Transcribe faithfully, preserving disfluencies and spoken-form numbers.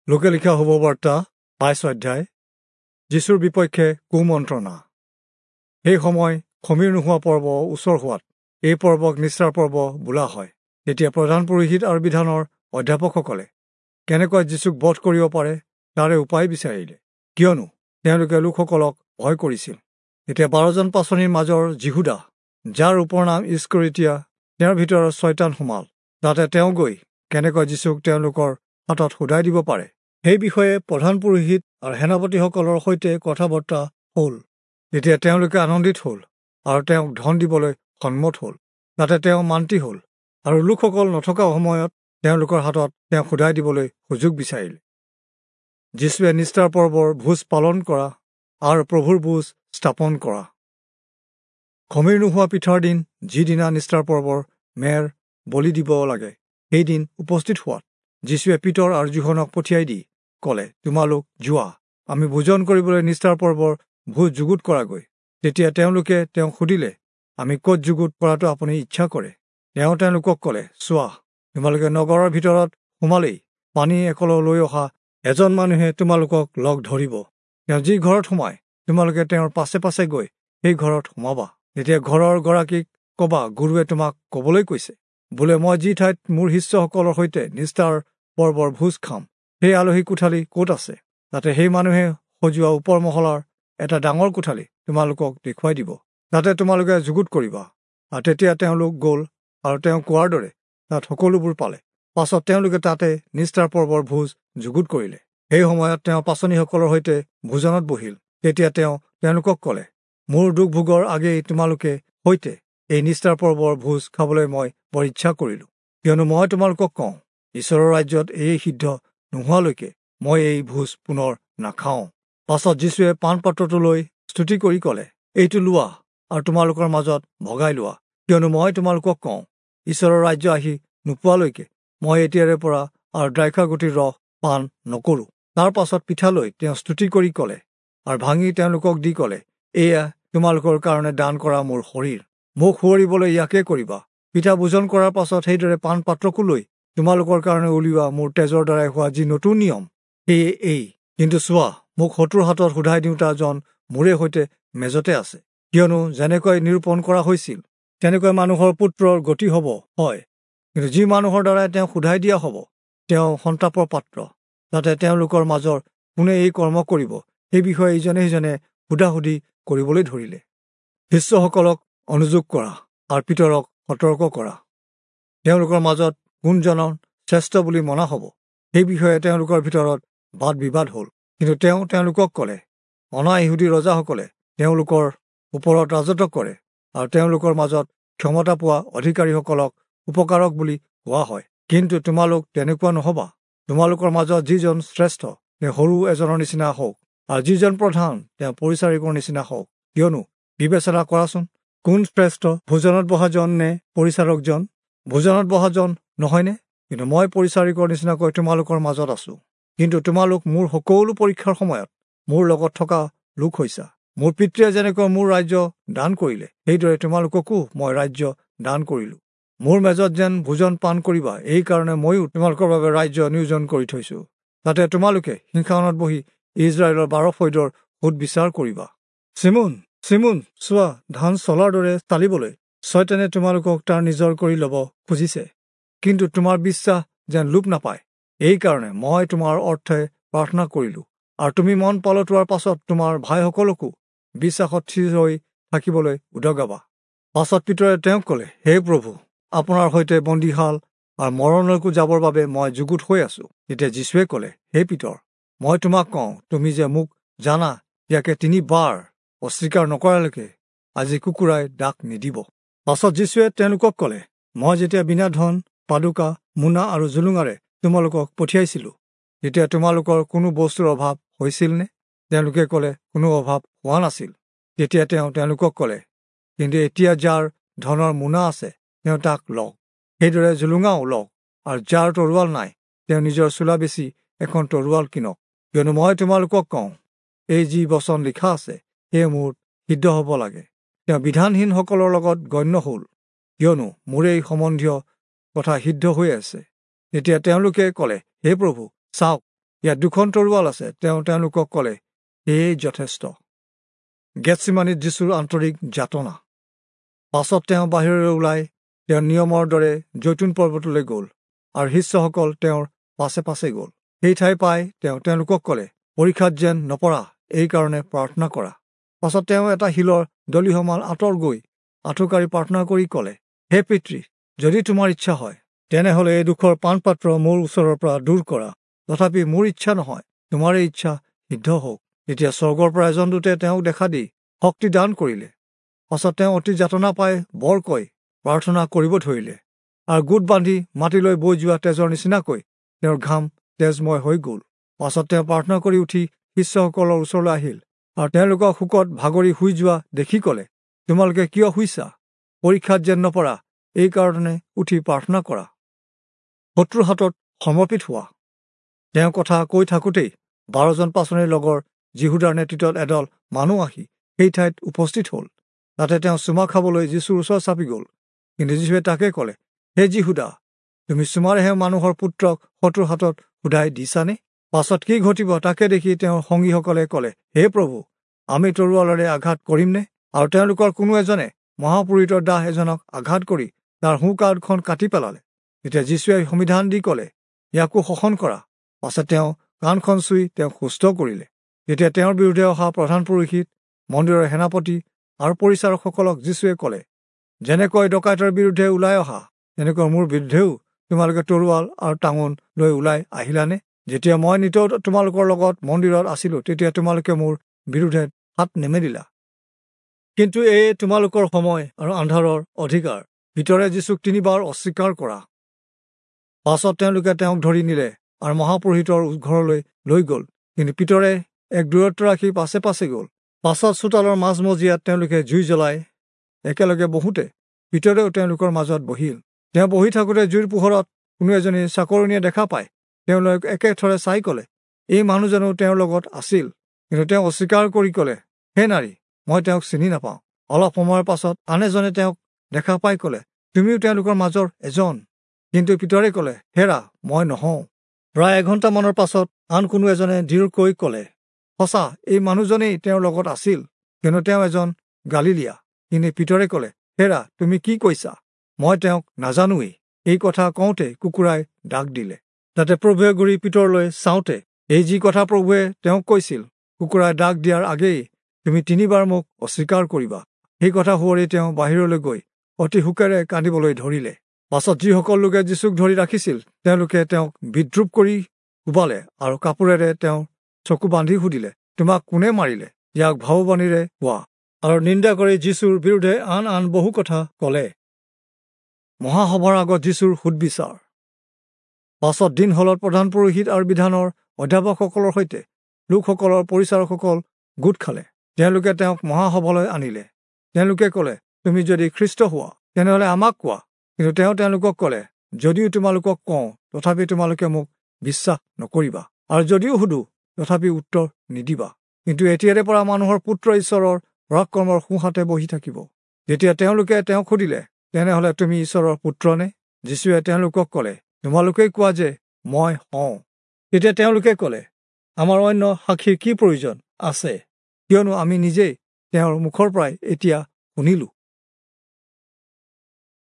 লোকে লিখা শুভবাৰ্তা বাইশ অধ্যায়। যীশুৰ বিপক্ষে কুমন্ত্ৰণা। সেই সময় খমীৰ নোহোৱা পৰ্ব ওচৰ হোৱাত এই পৰ্বক নিস্তাৰ পৰ্ব বোলা হয়। তেতিয়া প্ৰধান পুৰোহিত আৰু বিধানৰ অধ্যাপকসকলে কেনেকৈ যীশুক বধ কৰিব পাৰে তাৰে উপায় বিচাৰিলে, কিয়নো তেওঁলোকে লোকসকলক ভয় কৰিছিল। তেতিয়া বাৰজন পাচনিৰ মাজৰ যিহুদা, যাৰ ওপৰ নাম ইস্কৰিতিয়া, তেওঁৰ ভিতৰত ছয়তান সোমাল। তাতে তেওঁ গৈ কেনেকৈ যীশুক তেওঁলোকৰ হাতত সোধাই দিব পাৰে সেই বিষয়ে প্ৰধান পুৰোহিত আৰু সেনাপতিসকলৰ সৈতে কথা বতৰা হ'ল। তেতিয়া তেওঁলোকে আনন্দিত হ'ল আৰু তেওঁক ধন দিবলৈ সন্মত হ'ল। তাতে তেওঁ মান্তি হ'ল আৰু লোকসকল নথকা সময়ত তেওঁলোকৰ হাতত তেওঁক সোধাই দিবলৈ সুযোগ বিচাৰিলে। যীশুৱে নিস্তাৰ পৰ্বৰ ভোজ পালন কৰা আৰু প্ৰভুৰ ভোজ স্থাপন কৰা। খমীৰ নোহোৱা পিঠাৰ দিন, যিদিনা নিস্তাৰ পৰ্বৰ মেৰ বলি দিব লাগে, সেইদিন উপস্থিত হোৱাত যীশুৱে পিতৰ আৰু যোহনক পঠিয়াই দি ক'লে, তোমালোক যোৱা, আমি ভোজন কৰিবলৈ নিস্তাৰ পৰ্বৰ ভোজ যুগুত কৰাগৈ। তেতিয়া তেওঁলোকে তেওঁক সুধিলে, আমি ক'ত যুগুত কৰাটো আপুনি ইচ্ছা কৰে? তেওঁ তেওঁলোকক ক'লে, চোৱা, তোমালোকে নগৰৰ ভিতৰত সোমালেই পানী একলহ লৈ অহা এজন মানুহে তোমালোকক লগ ধৰিব। তেওঁ যি ঘৰত সোমায় তোমালোকে তেওঁৰ পাছে পাছে গৈ সেই ঘৰত সোমাবা। তেতিয়া ঘৰৰ গৰাকীক ক'বা, গুৰুৱে তোমাক ক'বলৈ কৈছে, বোলে মই যি ঠাইত মোৰ শিষ্যসকলৰ সৈতে নিস্তাৰ পৰ্বৰ ভোজ খাম, সেই আলহী কোঠালি ক'ত আছে? তাতে সেই মানুহে সজোৱা ওপৰ মহলাৰ এটা ডাঙৰ কোঠালি তোমালোকক দেখুৱাই দিব। তাতে তোমালোকে যুগুত কৰিবা। আৰু তেতিয়া তেওঁলোক গ'ল আৰু তেওঁ কোৱাৰ দৰে তাত সকলোবোৰ পালে। পাছত তেওঁলোকে তাতে নিস্তাৰ পৰ্বৰ ভোজ যুগুত কৰিলে। সেই সময়ত তেওঁ পাচনিসকলৰ সৈতে ভোজনত বহিল। তেতিয়া তেওঁ তেওঁলোকক ক'লে, মোৰ দুখ ভোগৰ আগেয়ে তোমালোকে সৈতে এই নিস্তাৰ পৰ্বৰ ভোজ খাবলৈ মই বৰ ইচ্ছা কৰিলোঁ। কিয়নো মই তোমালোকক কওঁ, ঈশ্বৰৰ ৰাজ্যত এই সিদ্ধ নোহোৱালৈকে মই এই ভোজ পুনৰ নাখাওঁ। পাছত যীশুৱে পান পাত্ৰটো লৈ স্তুতি কৰি ক'লে, এইটো লোৱা আৰু তোমালোকৰ মাজত ভগাই লোৱা। কিয়নো মই তোমালোকক কওঁ, ঈশ্বৰৰ ৰাজ্য আহি নোপোৱালৈকে মই এতিয়াৰে পৰা আৰু দ্ৰাক্ষাগুটিৰ ৰস পান নকৰোঁ। তাৰ পাছত পিঠা লৈ তেওঁ স্তুতি কৰি ক'লে আৰু ভাঙি তেওঁলোকক দি ক'লে, এয়া তোমালোকৰ কাৰণে দান কৰা মোৰ শৰীৰ, মোক সোঁৱৰিবলৈ ইয়াকে কৰিবা। পিঠা ভোজন কৰাৰ পাছত সেইদৰে পান পাত্ৰকো লৈ তোমালোকৰ কাৰণে উলিওৱা মোৰ তেজৰ দ্বাৰাই হোৱা যি নতুন নিয়ম, সেয়ে এই। কিন্তু চোৱা, মোক শত্ৰুৰ হাতত সোধাই দিওঁতাজন মোৰে সৈতে মেজতে আছে। কিয়নো যেনেকৈ নিৰূপণ কৰা হৈছিল তেনেকৈ মানুহৰ পুত্ৰৰ গতি হ'ব হয়, কিন্তু যি মানুহৰ দ্বাৰাই তেওঁ সোধাই দিয়া হ'ব তেওঁ সন্তাপৰ পাত্ৰ। যাতে তেওঁলোকৰ মাজৰ কোনে এই কৰ্ম কৰিব সেই বিষয়ে ইজনে সিজনে সোধা সুধি কৰিবলৈ ধৰিলে। শিষ্যসকলক অনুযোগ কৰা আৰু পিতৰক সতৰ্ক কৰা। তেওঁলোকৰ মাজত কোনজন শ্ৰেষ্ঠ বুলি মনা হ'ব সেই বিষয়ে তেওঁলোকৰ ভিতৰত বাদ বিবাদ হ'ল। কিন্তু তেওঁ তেওঁলোকক ক'লে, অনা ইহুদী ৰজাসকলে তেওঁলোকৰ ওপৰত ৰাজত্ব কৰে আৰু তেওঁলোকৰ মাজত ক্ষমতা পোৱা অধিকাৰীসকলক উপকাৰক বুলি কোৱা হয়। কিন্তু তোমালোক তেনেকুৱা নহ'বা। তোমালোকৰ মাজত যিজন শ্ৰেষ্ঠ তেওঁ সৰু এজনৰ নিচিনা হওক, আৰু যিজন প্ৰধান তেওঁ পৰিচাৰিকৰ নিচিনা হওক। কিয়নো বিবেচনা কৰাচোন, কোন শ্ৰেষ্ঠ, ভোজনত বহাজন নে পৰিচাৰকজন? ভোজনত বহাজন নহয়নে? কিন্তু মই পৰিচাৰিকৰ নিচিনাকৈ তোমালোকৰ মাজত আছো। কিন্তু তোমালোক মোৰ সকলো পৰীক্ষাৰ সময়ত মোৰ লগত থকা লোক হৈছা। মোৰ পিতৃয়ে যেনেকৈ মোৰ ৰাজ্য দান কৰিলে, সেইদৰে তোমালোককো মই ৰাজ্য দান কৰিলোঁ। মোৰ মেজত যেন ভোজন পান কৰিবা, এইকাৰণে ময়ো তোমালোকৰ বাবে ৰাজ্য নিয়োজন কৰি থৈছোঁ। তাতে তোমালোকে সিংহাসনত বহি ইজৰাইলৰ বাৰ ফৈদৰ সোধ বিচাৰ কৰিবা। চিমোন, চিমোন, চোৱা, ধান চলাৰ দৰে চালিবলৈ ছয়তানে তোমালোকক তাৰ নিজৰ কৰি ল'ব খুজিছে। কিন্তু তোমাৰ বিশ্বাস যেন লোপ নাপায়, এইকাৰণে মই তোমাৰ অৰ্থে প্ৰাৰ্থনা কৰিলোঁ। আৰু তুমি মন পালটোৱাৰ পাছত তোমাৰ ভাইসকলকো বিশ্বাসত থিৰ হৈ থাকিবলৈ উদগাবা। পাছত পিতৰে তেওঁক ক'লে, হে প্ৰভু, আপোনাৰ সৈতে বন্দীশাল আৰু মৰণলৈকো যাবৰ বাবে মই যুগুত হৈ আছোঁ। তেতিয়া যীশুৱে ক'লে, হে পিতৰ, মই তোমাক কওঁ, তুমি যে মোক জানা ইয়াকে তিনিবাৰ অস্বীকাৰ নকৰালৈকে আজি কুকুৰাই ডাক নিদিব। পাছত যীশুৱে তেওঁলোকক ক'লে, মই যেতিয়া বিনা ধন, পাদুকা, মোনা আৰু জোলোঙাৰে তোমালোকক পঠিয়াইছিলোঁ, তেতিয়া তোমালোকৰ কোনো বস্তুৰ অভাৱ হৈছিলনে? তেওঁলোকে ক'লে, কোনো অভাৱ হোৱা নাছিল। তেতিয়া তেওঁ তেওঁলোকক ক'লে, কিন্তু এতিয়া যাৰ ধনৰ মোনা আছে তেওঁ তাক লওক, সেইদৰে জোলোঙাও লওক, আৰু যাৰ তৰোৱাল নাই তেওঁ নিজৰ চোলা বেচি এখন তৰোৱাল কিনক। কিয়নো মই তোমালোকক কওঁ, এই যি বচন লিখা আছে সেয়ে মোৰ সিদ্ধ হ'ব লাগে। তেওঁ বিধানহীনসকলৰ লগত গণ্য হ'ল, কিয়নো মোৰেই সম্বন্ধীয় কথা সিদ্ধ হৈ আছে। তেতিয়া তেওঁলোকে ক'লে, হে প্ৰভু, চাওক, ইয়াত দুখন তৰোৱাল আছে। তেওঁ তেওঁলোকক ক'লে, সেয়েই যথেষ্ট। গেৎচিমানীত যীশুৰ আন্তৰিক যাতনা। পাছত তেওঁ বাহিৰলৈ ওলাই তেওঁৰ নিয়মৰ দৰে জৈতুন পৰ্বতলৈ গ'ল, আৰু শিষ্যসকল তেওঁৰ পাছে পাছে গ'ল। সেই ঠাই পাই তেওঁ তেওঁলোকক ক'লে, পৰীক্ষাত যেন নপৰা, এইকাৰণে প্ৰাৰ্থনা কৰা। পাছত তেওঁ এটা শিলৰ দলি সমান আঁতৰ গৈ আঁঠুকাঢ়ি প্ৰাৰ্থনা কৰি ক'লে, হে পিতৃ, যদি তোমাৰ ইচ্ছা হয়, তেনেহ'লে এই দুখৰ পানপাত্ৰ মোৰ ওচৰৰ পৰা দূৰ কৰা। তথাপি মোৰ ইচ্ছা নহয়, তোমাৰে ইচ্ছা সিদ্ধ হওক। তেতিয়া স্বৰ্গৰ পৰা এজন দূতে তেওঁক দেখা দি শক্তি দান কৰিলে। পাছত তেওঁ অতি যাতনা পাই বৰকৈ প্ৰাৰ্থনা কৰিব ধৰিলে, আৰু গোট বান্ধি মাটিলৈ বৈ যোৱা তেজৰ নিচিনাকৈ তেওঁৰ ঘাম তেজময় হৈ গ'ল। পাছত তেওঁ প্ৰাৰ্থনা কৰি উঠি শিষ্যসকলৰ ওচৰলৈ আহিল, আৰু তেওঁলোকক শোকত ভাগৰি শুই যোৱা দেখি ক'লে, তোমালোকে কিয় শুইছা? পৰীক্ষাত যেন নপৰা, এইকাৰণে উঠি প্ৰাৰ্থনা কৰা। শত্ৰুৰ হাতত সমৰ্পিত হোৱা। তেওঁ কথা কৈ থাকোঁতেই বাৰজন পাচনিৰ লগৰ যীহুদাৰ নেতৃত্বত এদল মানুহ আহি সেই ঠাইত উপস্থিত হ'ল। তাতে তেওঁ চুমা খাবলৈ যীশুৰ ওচৰ চাপি গ'ল। কিন্তু যীশুৱে তাকে ক'লে, হে যীহুদা, তুমি চুমাৰেহে মানুহৰ পুত্ৰক শত্ৰুৰ হাতত সোধাই দিছানে? পাছত কি ঘটিব তাকে দেখি তেওঁৰ সংগীসকলে ক'লে, হে প্ৰভু, আমি তৰোৱালেৰে আঘাত কৰিমনে? আৰু তেওঁলোকৰ কোনো এজনে মহাপুৰোহিতৰ দাস এজনক আঘাত কৰি তাৰ সোঁ কাণখন কাটি পেলালে। তেতিয়া যীশুৱে সমিধান দি ক'লে, ইয়াকো শোষণ কৰা। পাছত তেওঁ কাণখন চুই তেওঁক সুস্থ কৰিলে। তেতিয়া তেওঁৰ বিৰুদ্ধে অহা প্ৰধান পুৰোহিত, মন্দিৰৰ সেনাপতি আৰু পৰিচাৰকসকলক যীশুৱে ক'লে, যেনেকৈ ডকাইতৰ বিৰুদ্ধে ওলাই অহা, তেনেকৈ মোৰ বিৰুদ্ধেও তোমালোকে তৰোৱাল আৰু টাঙোন লৈ ওলাই আহিলানে? যেতিয়া মই নিতৌ তোমালোকৰ লগত মন্দিৰত আছিলোঁ, তেতিয়া তোমালোকে মোৰ বিৰুদ্ধে হাত নেমেলিলা। কিন্তু এয়ে তোমালোকৰ সময় আৰু আন্ধাৰৰ অধিকাৰ। পিতৰে যীশুক তিনিবাৰ অস্বীকাৰ কৰা। পাছত তেওঁলোকে তেওঁক ধৰি নিলে আৰু মহাপুৰোহিতৰ ঘৰলৈ লৈ গ'ল। কিন্তু পিতৰে এক দূৰত্ব ৰাখি পাছে পাছে গ'ল। পাছত চোতালৰ মাজমজিয়াত তেওঁলোকে জুই জ্বলাই একেলগে বহোঁতে পিতৰেও তেওঁলোকৰ মাজত বহিল। তেওঁ বহি থাকোঁতে জুইৰ পোহৰত কোনো এজনী চাকৰণীয়ে দেখা পাই তেওঁলোক একেথৰে চাই ক'লে, এই মানুহজনো তেওঁৰ লগত আছিল। কিন্তু তেওঁ অস্বীকাৰ কৰি ক'লে, হে নাৰী, মই তেওঁক চিনি নাপাওঁ। অলপ সময়ৰ পাছত আন এজনে তেওঁক দেখা পাই ক'লে, তুমিও তেওঁলোকৰ মাজৰ এজন। কিন্তু পিতৰে ক'লে, হেৰা, মই নহওঁ। প্ৰায় এঘণ্টামানৰ পাছত আন কোনো এজনে দৃঢ়কৈ ক'লে, সঁচা, এই মানুহজনেই তেওঁৰ লগত আছিল, কিয়নো তেওঁ এজন গালিলীয়া। কিন্তু পিতৰে ক'লে, হেৰা, তুমি কি কৈছা? মই তেওঁক নাজানোৱেই। এই কথা কওঁতে কুকুৰাই ডাক দিলে। তাতে প্ৰভুৱে ঘূৰি পিতৰলৈ চাওঁতে এই যি কথা প্ৰভুৱে তেওঁক কৈছিল, কুকুৰাই ডাক দিয়াৰ আগেয়ে তুমি তিনিবাৰ মোক অস্বীকাৰ কৰিবা, সেই কথা সোঁৱৰি তেওঁ বাহিৰলৈ গৈ অতি শোকেৰে কান্দিবলৈ ধৰিলে। পাছত যিসকল লোকে যীশুক ধৰি ৰাখিছিল, তেওঁলোকে তেওঁক বিদ্ৰূপ কৰি কোবালে আৰু কাপোৰেৰে তেওঁ চকু বান্ধি সুধিলে, তোমাক কোনে মাৰিলে? ইয়াক ভাৱবাণীৰে কোৱা। আৰু নিন্দা কৰি যীশুৰ বিৰুদ্ধে আন আন বহু কথা ক'লে। মহাসভাৰ আগত যীশুৰ সুদবিচাৰ। পাছত দিন হলত প্ৰধান পুৰোহিত আৰু বিধানৰ অধ্যাপকসকলৰ সৈতে লোকসকলৰ পৰিচাৰকসকল গোট খালে। তেওঁলোকে তেওঁক মহাসভালৈ আনিলে। তেওঁলোকে ক'লে, তুমি যদি খ্ৰীষ্ট হোৱা, তেনেহ'লে আমাক কোৱা। কিন্তু তেওঁ তেওঁলোকক ক'লে, যদিও তোমালোকক কওঁ, তথাপি তোমালোকে মোক বিশ্বাস নকৰিবা, আৰু যদিও সোধো, তথাপি উত্তৰ নিদিবা। কিন্তু এতিয়াৰে পৰা মানুহৰ পুত্ৰ ঈশ্বৰৰ পৰাক্ৰমৰ সোঁহাতে বহি থাকিব। যেতিয়া তেওঁলোকে তেওঁক সুধিলে, তেনেহ'লে তুমি ঈশ্বৰৰ পুত্ৰ নে? যীশুৱে তেওঁলোকক ক'লে, তোমালোকেই কোৱা যে মই হওঁ। তেতিয়া তেওঁলোকে ক'লে, আমাৰ অন্য সাক্ষীৰ কি প্ৰয়োজন আছে? কিয়নো আমি নিজেই তেওঁৰ মুখৰ পৰাই এতিয়া শুনিলোঁ।